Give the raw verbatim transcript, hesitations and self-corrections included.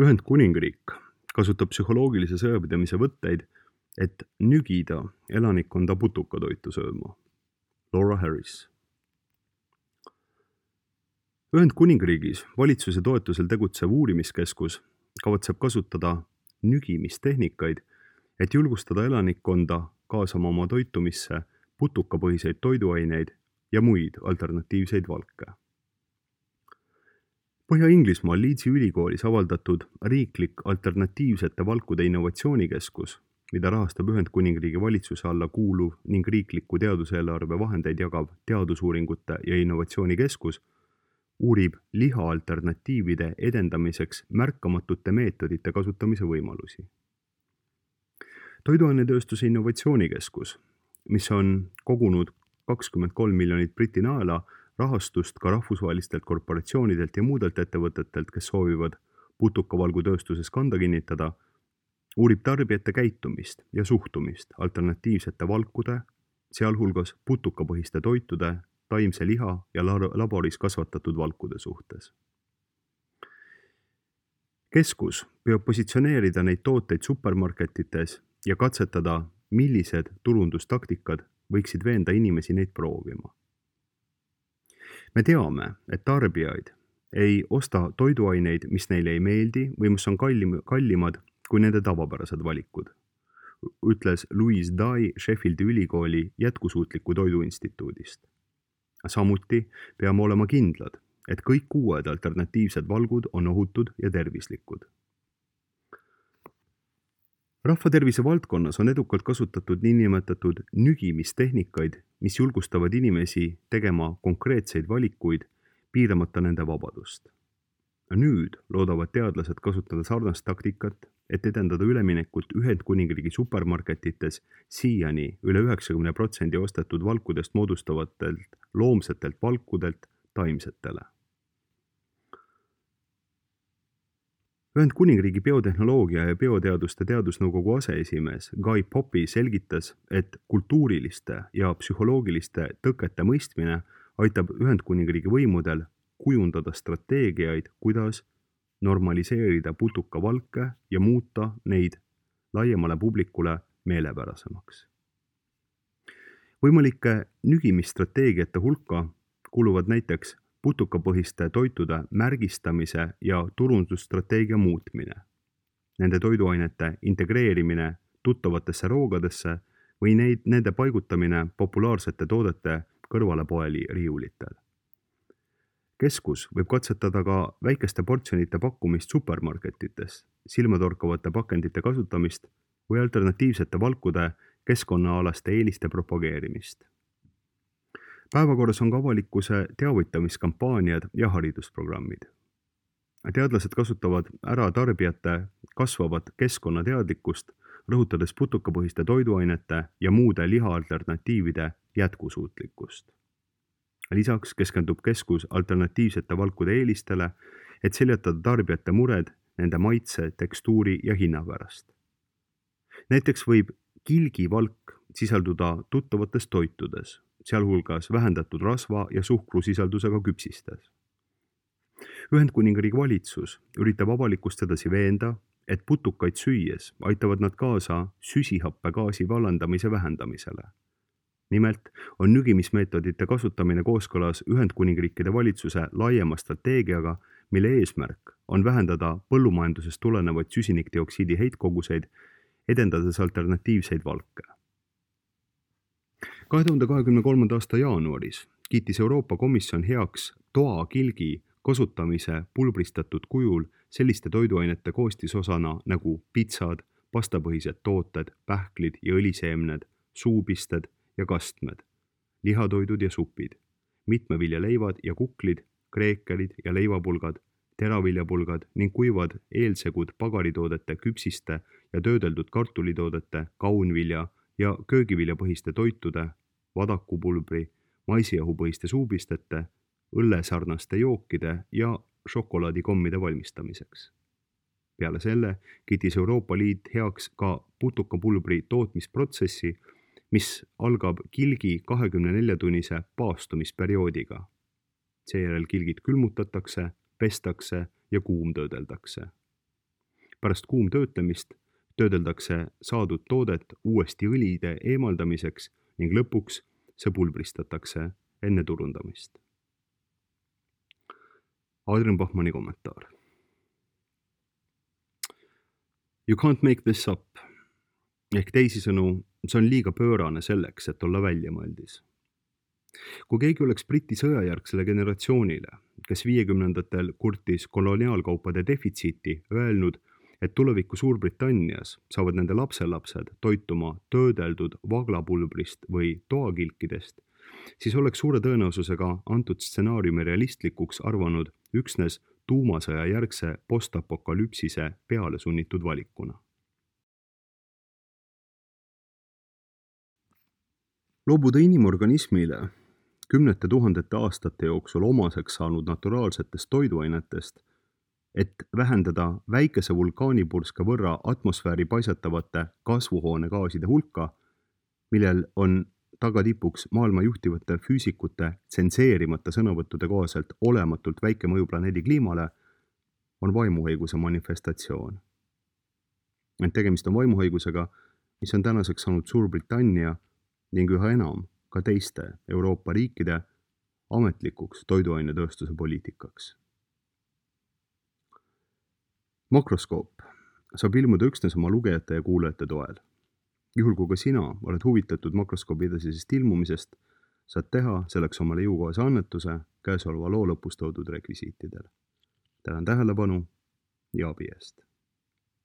Ühendkuningriik kasutab psühholoogilise sõjapidamise võtteid, et nügida elanikkonda putukatoitu sööma. Laura Harris. Ühendkuningriigis valitsuse toetusel tegutsev uurimiskeskus kavatseb kasutada nügimistehnikaid, et julgustada elanikkonda kaasama oma toitumisse putukapõhiseid toiduaineid ja muid alternatiivseid valke. Põhja-Inglismaal Leedsi ülikoolis avaldatud riiklik alternatiivsete valkude innovatsioonikeskus, mida rahastab Ühendkuningriigi valitsuse alla kuuluv ning riikliku teaduseelarve vahendeid jagav teadusuuringute ja innovatsioonikeskus, uurib liha alternatiivide edendamiseks märkamatute meetodite kasutamise võimalusi. Toiduainetööstuse innovatsioonikeskus, mis on kogunud kakskümmend kolm miljonit Briti naela rahastust ka rahvusvahelistelt korporatsioonidelt ja muudelt ettevõtetelt, kes soovivad putukavalgutööstuses kanda kinnitada, uurib tarbijate käitumist ja suhtumist alternatiivsete valkude, sealhulgas putukapõhiste toitude, taimse liha ja laboris kasvatatud valkude suhtes. Keskus peab positsioneerida neid tooteid supermarketites ja katsetada, millised turundustaktikad võiksid veenda inimesi neid proovima. Me teame, et tarbijaid ei osta toiduaineid, mis neile ei meeldi või mis on kallim, kallimad kui nende tavapärased valikud, ütles Louise Dye Sheffieldi ülikooli jätkusuutliku toidu instituudist. Samuti peame olema kindlad, et kõik uued alternatiivsed valgud on ohutud ja tervislikud. Rahvatervise valdkonnas on edukalt kasutatud niinimetatud nügimistehnikaid, mis julgustavad inimesi tegema konkreetseid valikuid, piiramata nende vabadust. Nüüd loodavad teadlased kasutada sarnast taktikat, et edendada üleminekut Ühendkuningriigi supermarketites siiani üle üheksakümne protsendi ostetud valkudest moodustavatelt loomsetelt valkudelt taimsetele. Ühendkuningriigi biotehnoloogia ja bioteaduste teadusnõukogu aseesimees Guy Poppy selgitas, et kultuuriliste ja psühholoogiliste tõkete mõistmine aitab Ühendkuningriigi võimudel kujundada strateegiaid, kuidas normaliseerida putukavalke ja muuta neid laiemale publikule meelepärasemaks. Võimalike nügimisstrateegiate hulka kuuluvad näiteks putukapõhiste toitude märgistamise ja turundusstrateegia muutmine, nende toiduainete integreerimine tuttavatesse roogadesse või neid, nende paigutamine populaarsete toodete kõrvale poeli riiulitel. Keskus võib katsetada ka väikeste portsjonite pakkumist supermarketites, silmatorkavate pakendite kasutamist või alternatiivsete valkude keskkonnaalaste eeliste propageerimist. Päevakorras on ka avalikkuse teavitamiskampaaniad ja haridusprogrammid. Teadlased kasutavad ära tarbijate kasvavat keskkonnateadlikkust, rõhutades putukapõhiste toiduainete ja muude liha-alternatiivide jätkusuutlikkust. Lisaks keskendub keskus alternatiivsete valkude eelistele, et seljatada tarbijate mured nende maitse, tekstuuri ja hinna pärast. Näiteks võib kilgivalk sisalduda tuttavates toitudes, sealhulgas vähendatud rasva ja suhkrusisaldusega küpsistes. Ühendkuningriigi valitsus üritab avalikkust edasi veenda, et putukaid süües aitavad nad kaasa süsihappegaasi vallandamise vähendamisele. Nimelt on nügimismeetodite kasutamine kooskõlas Ühendkuningriikide valitsuse laiema strateegiaga, mille eesmärk on vähendada põllumajandusest tulenevaid süsinikdioksiidi heitkoguseid, edendades alternatiivseid valke. kahe tuhande kahekümne kolmanda aasta jaanuaris kiitis Euroopa Komisjon heaks toakilgi kasutamise pulbristatud kujul selliste toiduainete koostisosana nagu pitsad, pastapõhised tooted, pähklid ja õliseemned, suupisted ja kastmed, lihatoidud ja supid, mitmeviljaleivad ja kuklid, kreekelid ja leivapulgad, teraviljapulgad ning kuivad eelsegud pagaritoodete, küpsiste ja töödeldud kartulitoodete, kaunvilja ja köögiviljapõhiste toitude, vadakupulbri, maisiahupõhiste suupistete, õllesarnaste jookide ja šokolaadikommide valmistamiseks. Peale selle kiitis Euroopa Liit heaks ka putukapulbri tootmisprotsessi, mis algab kilgi kahekümne nelja tunnise paastumisperioodiga. Seejärel kilgid külmutatakse, pestakse ja kuumtöödeldakse. Pärast kuumtöötlemist töödeldakse saadud toodet uuesti õlide eemaldamiseks ning lõpuks see pulbristatakse enne turundamist. Adrian Bachmanni kommentaar. You can't make this up. Ehk teisisõnu, see on liiga pöörane selleks, et olla väljamõeldis. Kui keegi oleks Briti sõjajärgsele generatsioonile, kes viiekümnendatel kurtis koloniaalkaupade defitsiiti, öelnud, et tuleviku Suurbritannias saavad nende lapselapsed toituma töödeldud vaglapulbrist või toakilkidest, siis oleks suure tõenäosusega antud stsenaariumi realistlikuks arvanud üksnes tuumasõja järgse postapokalüpsise peale sunnitud valikuna. Loobuda inimorganismile kümnete tuhandete aastate jooksul omaseks saanud naturaalsetest toiduainetest, et vähendada väikese vulkaanipurska võrra atmosfääri paisatavate kasvuhoonegaaside hulka, millel on tagatipuks maailma juhtivate füüsikute tsenseerimata sõnavõttude kohaselt olematult väike mõju planeedi kliimale, on vaimuhaiguse manifestatsioon. Ent tegemist on vaimuhaigusega, mis on tänaseks saanud Suurbritannia ning üha enam ka teiste Euroopa riikide ametlikuks toiduainetööstuse poliitikaks. Makroskoop saab ilmuda üksnes oma lugejate ja kuulajate toel. Juhul kui ka sina oled huvitatud makroskoobi edasisest ilmumisest, saad teha selleks omale jõukohase annetuse käesoleva loo lõpus toodud rekvisiitidel. Tänan tähelepanu ja abi eest!